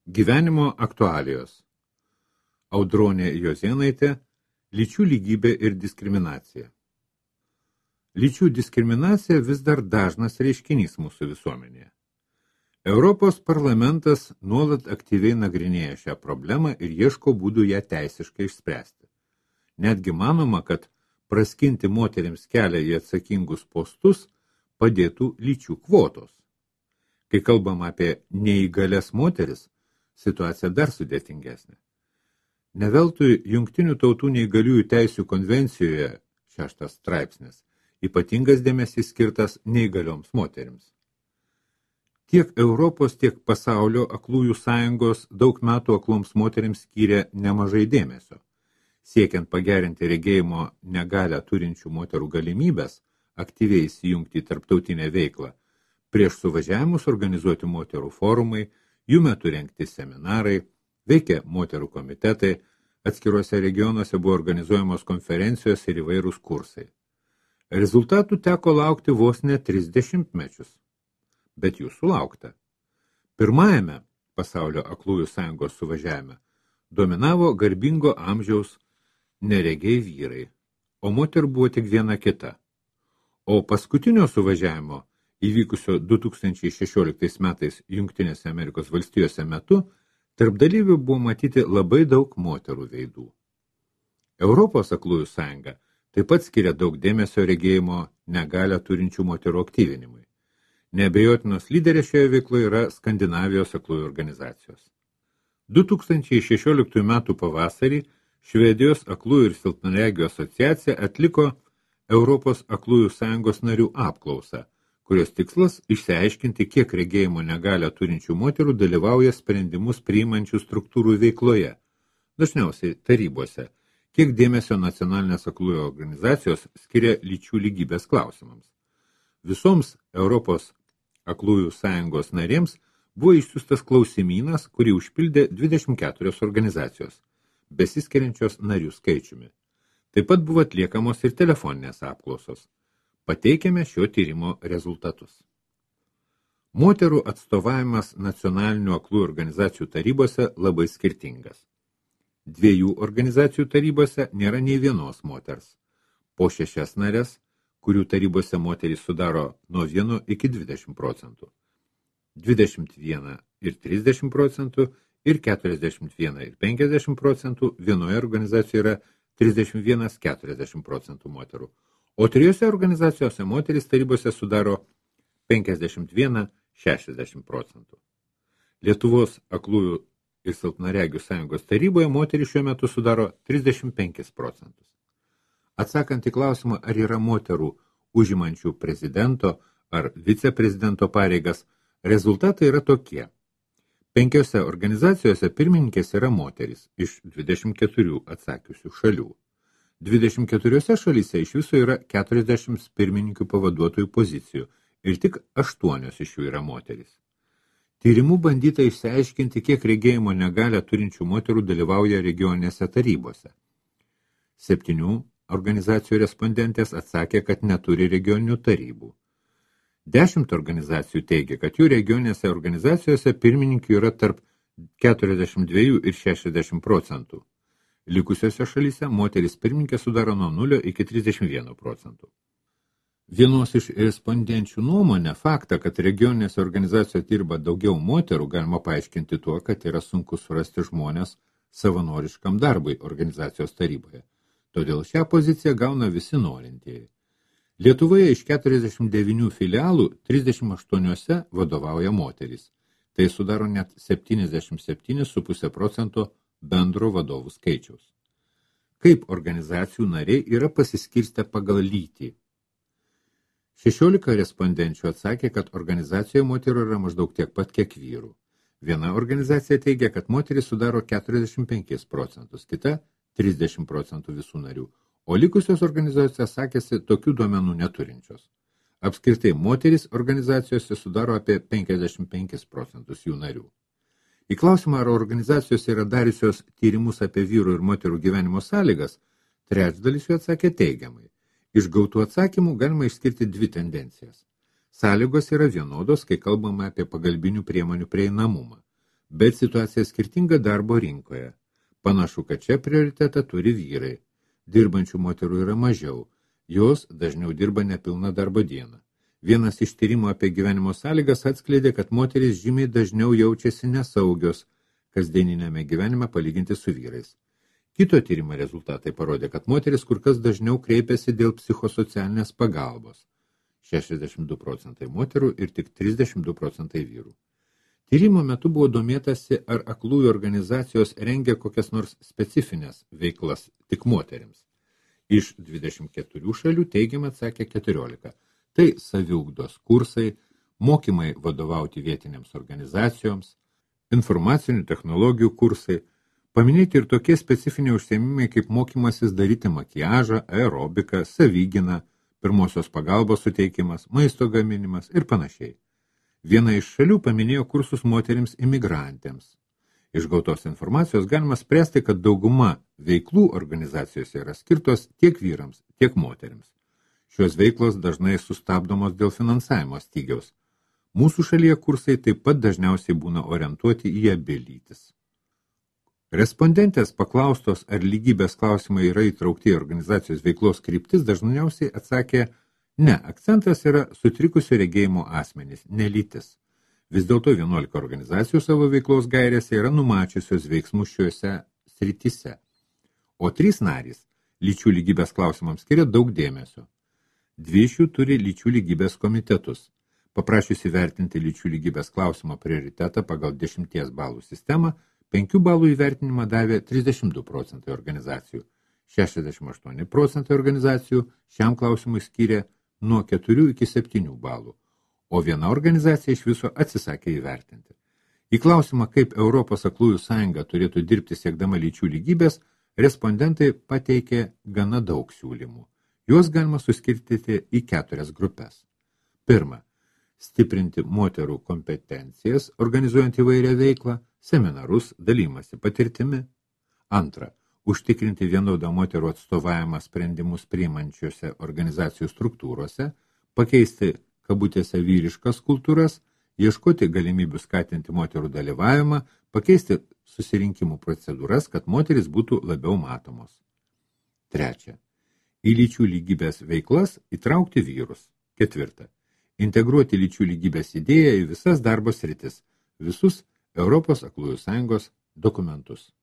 Gyvenimo aktualijos. Audronė Jozėnaitė, lyčių lygybė ir diskriminacija. Lyčių diskriminacija vis dar dažnas reiškinys mūsų visuomenėje. Europos parlamentas nuolat aktyviai nagrinėja šią problemą ir ieško būdų ją teisiškai išspręsti. Netgi manoma, kad praskinti moterims kelią į atsakingus postus padėtų lyčių kvotos. Kai kalbam apie neįgalias moteris, situacija dar sudėtingesnė. Ne veltui Jungtinių tautų neįgaliųjų teisių konvencijoje 6 straipsnis ypatingas dėmesys skirtas neįgalioms moterims. Tiek Europos, tiek pasaulio aklųjų sąjungos daug metų akloms moterims skyrė nemažai dėmesio. Siekiant pagerinti regėjimo negalią turinčių moterų galimybės, aktyviai įsijungti į tarptautinę veiklą, prieš suvažiavimus organizuoti moterų forumai, jų metu rengti seminarai, veikia moterų komitetai, atskiruose regionuose buvo organizuojamos konferencijos ir įvairūs kursai. Rezultatų teko laukti vos ne 30 mečius, bet jų sulaukta. Pirmajame pasaulio aklųjų sąjungos suvažiavime dominavo garbingo amžiaus neregiai vyrai, o moterų buvo tik viena kita. O paskutinio suvažiavimo, įvykusio 2016 metais Jungtinėse Amerikos valstijose metu, tarp dalyvių buvo matyti labai daug moterų veidų. Europos aklųjų sąjunga taip pat skiria daug dėmesio regėjimo negalią turinčių moterų aktyvinimui. Neabejotinos lyderės šioje veikloje yra Skandinavijos aklųjų organizacijos. 2016 metų pavasarį Švedijos aklųjų ir silpnaregių asociacija atliko Europos aklųjų sąjungos narių apklausą, kurios tikslas išsiaiškinti, kiek regėjimo negalią turinčių moterų dalyvauja sprendimus priimančių struktūrų veikloje, dažniausiai tarybose, kiek dėmesio nacionalinės aklųjų organizacijos skiria lyčių lygybės klausimams. Visoms Europos aklųjų sąjungos narėms buvo išsiųstas klausimynas, kurį užpildė 24 organizacijos, besiskiriančios narių skaičiumi. Taip pat buvo atliekamos ir telefoninės apklausos. Pateikėme šio tyrimo rezultatus. Moterų atstovavimas nacionalinių aklųjų organizacijų tarybose labai skirtingas. 2 organizacijų tarybose nėra nei vienos moters. Po 6 narės, kurių tarybose moterys sudaro nuo 1 iki 20%. 21 ir 30% ir 41 ir 50% vienoje organizacijoje yra 31-40% moterų. O 3 organizacijose moterys tarybose sudaro 51-60%. Lietuvos aklųjų ir silpnaregių sąjungos taryboje moterys šiuo metu sudaro 35%. Atsakant į klausimą, ar yra moterų užimančių prezidento ar viceprezidento pareigas, rezultatai yra tokie. 5 organizacijose pirmininkės yra moterys iš 24 atsakiusių šalių. 24 šalyse iš viso yra 40 pirmininkių pavaduotojų pozicijų ir tik 8 iš jų yra moterys. Tyrimų bandyta išsiaiškinti, kiek regėjimo negalią turinčių moterų dalyvauja regioninėse tarybose. 7 organizacijų respondentės atsakė, kad neturi regioninių tarybų. 10 organizacijų teigia, kad jų regioninėse organizacijose pirmininkių yra tarp 42 ir 60%. Likusiose šalyse moteris pirmininkė sudaro nuo 0 iki 31%. Vienos iš respondenčių nuomonę faktą, kad regioninėse organizacijose dirba daugiau moterų, galima paaiškinti tuo, kad yra sunku surasti žmonės savanoriškam darbui organizacijos taryboje. Todėl šią poziciją gauna visi norintieji. Lietuvoje iš 49 filialų 38 vadovauja moterys. Tai sudaro net 77,5% bendro vadovų skaičiaus. Kaip organizacijų nariai yra pasiskirstę pagal lytį? 16 respondenčių atsakė, kad organizacijoje moterų yra maždaug tiek pat, kiek vyrų. Viena organizacija teigia, kad moterys sudaro 45%, kita 30% visų narių, o likusios organizacijos sakėsi tokių duomenų neturinčios. Apskritai, moterys organizacijose sudaro apie 55% jų narių. Į klausimą, ar organizacijos yra dariusios tyrimus apie vyrų ir moterų gyvenimo sąlygas, trečdalis jų atsakė teigiamai. Iš gautų atsakymų galima išskirti 2 tendencijas. Sąlygos yra vienodos, kai kalbama apie pagalbinių priemonių prieinamumą, Bet situacija skirtinga darbo rinkoje. Panašu, kad čia prioritetą turi vyrai. Dirbančių moterų yra mažiau. Jos dažniau dirba nepilną darbo dieną. Vienas iš tyrimų apie gyvenimo sąlygas atskleidė, kad moterys žymiai dažniau jaučiasi nesaugios kasdieninėme gyvenime palyginti su vyrais. Kito tyrimo rezultatai parodė, kad moteris kur kas dažniau kreipiasi dėl psichosocialinės pagalbos. 62% moterų ir tik 32% vyrų. Tyrimo metu buvo domėtasi, ar aklųjų organizacijos rengia kokias nors specifines veiklas tik moterims. Iš 24 šalių teigiamai atsakė 14. Tai saviugdos kursai, mokymai vadovauti vietinėms organizacijoms, informacinių technologijų kursai, paminėti ir tokie specifiniai užsiėmimai kaip mokymasis daryti makiažą, aerobiką, savigyną, pirmosios pagalbos suteikimas, maisto gaminimas ir panašiai. Viena iš šalių paminėjo kursus moterims imigrantėms. Iš gautos informacijos galima spręsti, kad dauguma veiklų organizacijose yra skirtos tiek vyrams, tiek moterims. Šios veiklos dažnai sustabdomos dėl finansavimo stygiaus. Mūsų šalyje kursai taip pat dažniausiai būna orientuoti į abi lytis. Respondentės paklaustos, ar lygybės klausimai yra įtraukti į organizacijos veiklos kryptis, dažniausiai atsakė, ne, akcentas yra sutrikusio regėjimo asmenys, ne lytis. Vis dėlto 11 organizacijų savo veiklos gairėse yra numačiusios veiksmus šiuose srityse, o 3 narys lyčių lygybės klausimams skiria daug dėmesio. 2 iš jų turi lyčių lygybės komitetus. Paprašiusi vertinti lyčių lygybės klausimo prioritetą pagal 10 balų sistemą, 5 balų įvertinimą davė 32% organizacijų, 68% organizacijų šiam klausimui skyrė nuo 4 iki 7 balų, o viena organizacija iš viso atsisakė įvertinti. Į klausimą, kaip Europos aklųjų sąjunga turėtų dirbti siekdama lyčių lygybės, respondentai pateikė gana daug siūlymų. Juos galima suskirstyti į 4 grupės. Pirma, stiprinti moterų kompetencijas, organizuojant įvairią veiklą, seminarus, dalymasi patirtimi. Antra, užtikrinti vienodą moterų atstovavimą sprendimus priimančiose organizacijų struktūrose, pakeisti kabutėse vyriškas kultūras, ieškoti galimybių skatinti moterų dalyvavimą, pakeisti susirinkimų procedūras, kad moteris būtų labiau matomos. Trečia, į lyčių lygybės veiklas įtraukti vyrus. Ketvirta, integruoti lyčių lygybės idėją į visas darbo sritis, visus Europos aklųjų sąjungos dokumentus.